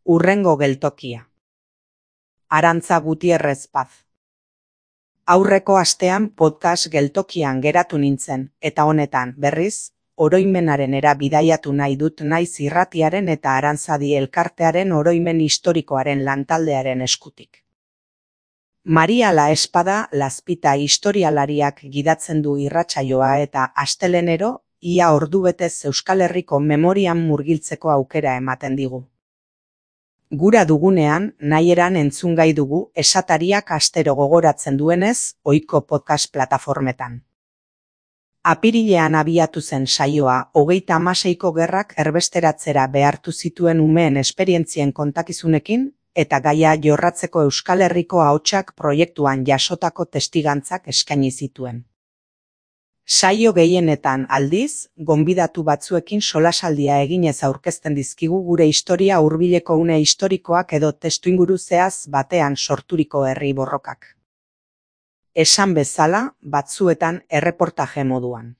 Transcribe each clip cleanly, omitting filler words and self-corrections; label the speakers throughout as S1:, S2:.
S1: Hurrengo geltokia. Arantza Gutierrez Paz. Aurreko astean podcast geltokian geratu nintzen, eta honetan, berriz, oroimenaren bidaiatu nahi dut naiz irratiaren eta Arantzadi elkartearen oroimen historikoaren lantaldearen eskutik. Maria Laespada Lazpita historialariak gidatzen du irratsaioa eta astelenero, ia ordubetez Euskal Herriko memorian murgiltzeko aukera ematen digu. Gura dugunean, nahieran entzungai dugu esatariak astero gogoratzen duenez, ohiko podcast plataformetan. Apirilean abiatu zen saioa, 36ko gerrak erbesteratzera behartu zituen umeen esperientzien kontakizunekin, eta gaia jorratzeko Euskal Herriko ahotsak proiektuan jasotako testigantzak eskaini zituen. Saio gehienetan aldiz, gonbidatu batzuekin solasaldia eginez aurkezten dizkigu gure historia hurbileko une historikoak edo testuinguru zehaz batean sorturiko herri borrokak. Esan bezala, batzuetan erreportaje moduan.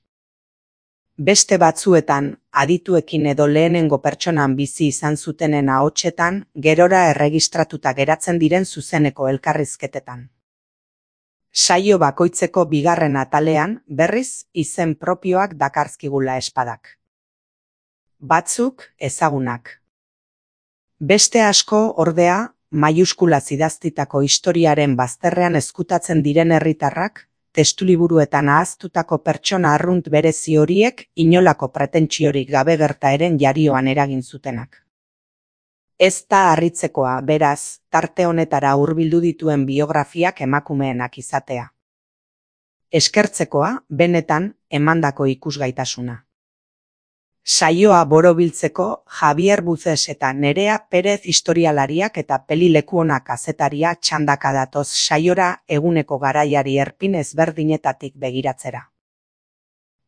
S1: Beste batzuetan, adituekin edo lehenengo pertsonan bizi izan zutenen ahotsetan, gerora erregistratuta geratzen diren zuzeneko elkarrizketetan. Saio bakoitzeko bigarren atalean, berriz, izen propioak dakarzkigula espadak. Batzuk, ezagunak. Beste asko, ordea, maiuskulaz idaztitako historiaren bazterrean ezkutatzen diren herritarrak, testuliburuetan ahaztutako pertsona arrunt berezi horiek inolako pretentsiorik gabe gertaeren jarioan eragin zutenak. Ez da harritzekoa, beraz, tarte honetara hurbildu dituen biografiak emakumeenak izatea. Eskertzekoa, benetan, emandako ikusgaitasuna. Saioa borobiltzeko Javier Buzes eta Nerea Perez historialariak eta pelilekuona kazetaria txandaka datoz saiora eguneko garaiari erpin ezberdinetatik begiratzera.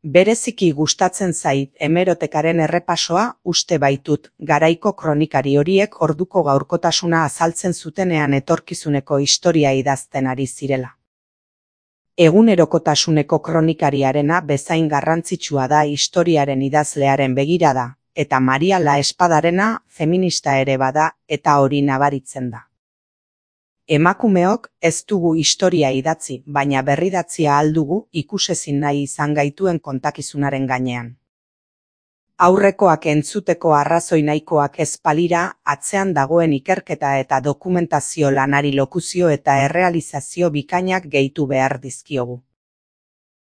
S1: Bereziki gustatzen zait hemerotekaren errepasoa uste baitut garaiko kronikari horiek orduko gaurkotasuna azaltzen zutenean etorkizuneko historia idazten ari zirela. Egunerokotasuneko kronikariarena bezain garrantzitsua da historiaren idazlearen begirada, eta Maria Laespadarena feminista ere bada eta hori nabaritzen da. Emakumeok ez dugu historia idatzi, baina berridatzia aldugu ikusezin nahi izan gaituen kontakizunaren gainean. Aurrekoak entzuteko arrazoi nahikoak ez balira, atzean dagoen ikerketa eta dokumentazio lanari lokuzio eta errealizazio bikainak gehitu behar dizkiogu.